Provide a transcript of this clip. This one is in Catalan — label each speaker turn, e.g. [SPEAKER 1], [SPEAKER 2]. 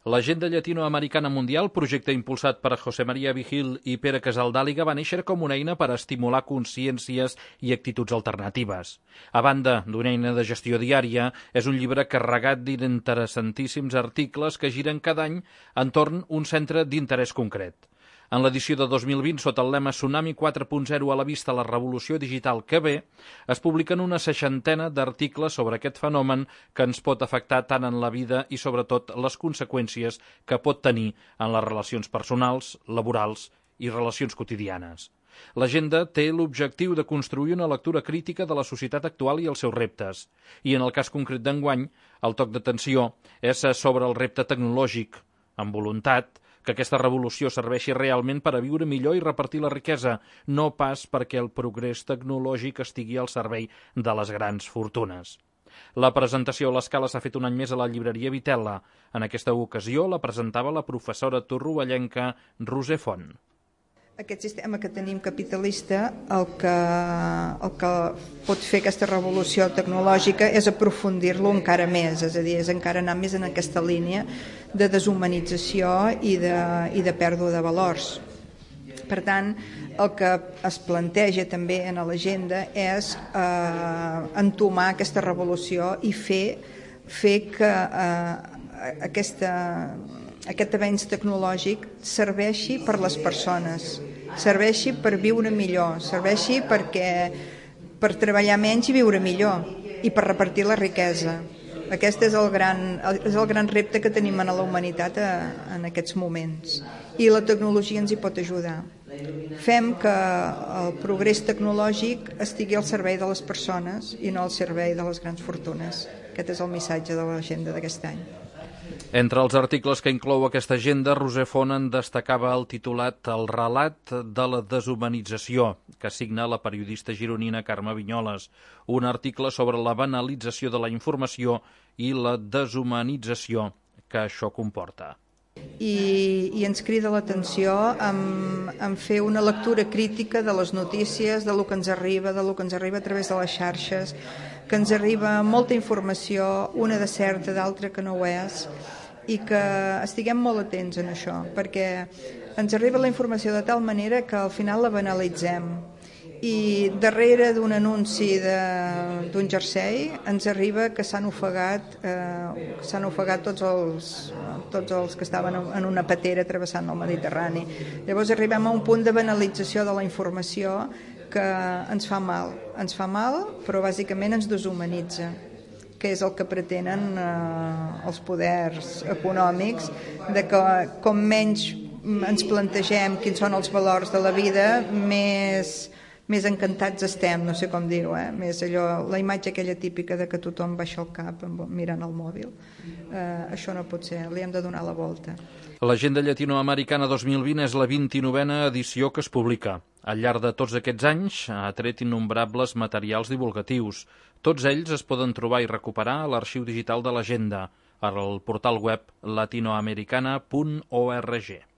[SPEAKER 1] L'Agenda Llatinoamericana Mundial, projecte impulsat per José María Vigil i Pere Casaldàliga, va néixer com una eina per estimular consciències i actituds alternatives. A banda d'una eina de gestió diària, és un llibre carregat d'interessantíssims articles que giren cada any entorn un centre d'interès concret. En l'edició de 2020, sota el lema Tsunami 4.0 a la vista, la revolució digital que ve, es publiquen una 60 d'articles sobre aquest fenomen que ens pot afectar tant en la vida i sobretot les conseqüències que pot tenir en les relacions personals, laborals i relacions quotidianes. L'agenda té l'objectiu de construir una lectura crítica de la societat actual i els seus reptes. I en el cas concret d'enguany, el toc d'atenció és sobre el repte tecnològic, amb voluntat que aquesta revolució serveixi realment per a viure millor i repartir la riquesa, no pas perquè el progrés tecnològic estigui al servei de les grans fortunes. La presentació a l'escala s'ha fet un any més a la llibreria Vitella. En aquesta ocasió la presentava la professora torrovellenca Roser Font.
[SPEAKER 2] Aquest sistema que tenim capitalista, el que pot fer aquesta revolució tecnològica és aprofundir-lo encara més, és a dir, és encara anar més en aquesta línia de deshumanització i de pèrdua de valors. Per tant, el que es planteja també en l'agenda és entomar aquesta revolució i fer que aquest avenç tecnològic serveixi per les persones, serveixi per viure millor, serveixi per treballar menys i viure millor i per repartir la riquesa. Aquest és el gran repte que tenim en la humanitat en aquests moments i la tecnologia ens hi pot ajudar. Fem que el progrés tecnològic estigui al servei de les persones i no al servei de les grans fortunes. Aquest és el missatge de l'agenda d'aquest any.
[SPEAKER 1] Entre els articles que inclou aquesta agenda, Roser Font en destacava el titulat El relat de la deshumanització, que signa la periodista gironina Carme Vinyoles, un article sobre la banalització de la informació i la deshumanització que això comporta.
[SPEAKER 2] I ens crida l'atenció en fer una lectura crítica de les notícies, de lo que ens arriba, a través de les xarxes, que ens arriba molta informació, una de certa, d'altra que no ho és, i que estiguem molt atents en això, perquè ens arriba la informació de tal manera que al final la banalitzem. I darrere d'un anunci d'un jersei ens arriba que s'han ofegat tots els que estaven en una patera travessant el Mediterrani. Llavors arribem a un punt de banalització de la informació que ens fa mal, però bàsicament ens deshumanitza, que és el que pretenen els poders econòmics, de que com menys ens plantegem quins són els valors de la vida, més encantats estem, no sé com dir-ho, més allò, la imatge aquella típica de que tothom baixa el cap mirant el mòbil. Això no pot ser, li hem de donar la volta.
[SPEAKER 1] L'Agenda Llatinoamericana 2020 és la 29a edició que es publica. Al llarg de tots aquests anys ha tret innombrables materials divulgatius. Tots ells es poden trobar i recuperar a l'arxiu digital de l'Agenda, al portal web latinoamericana.org.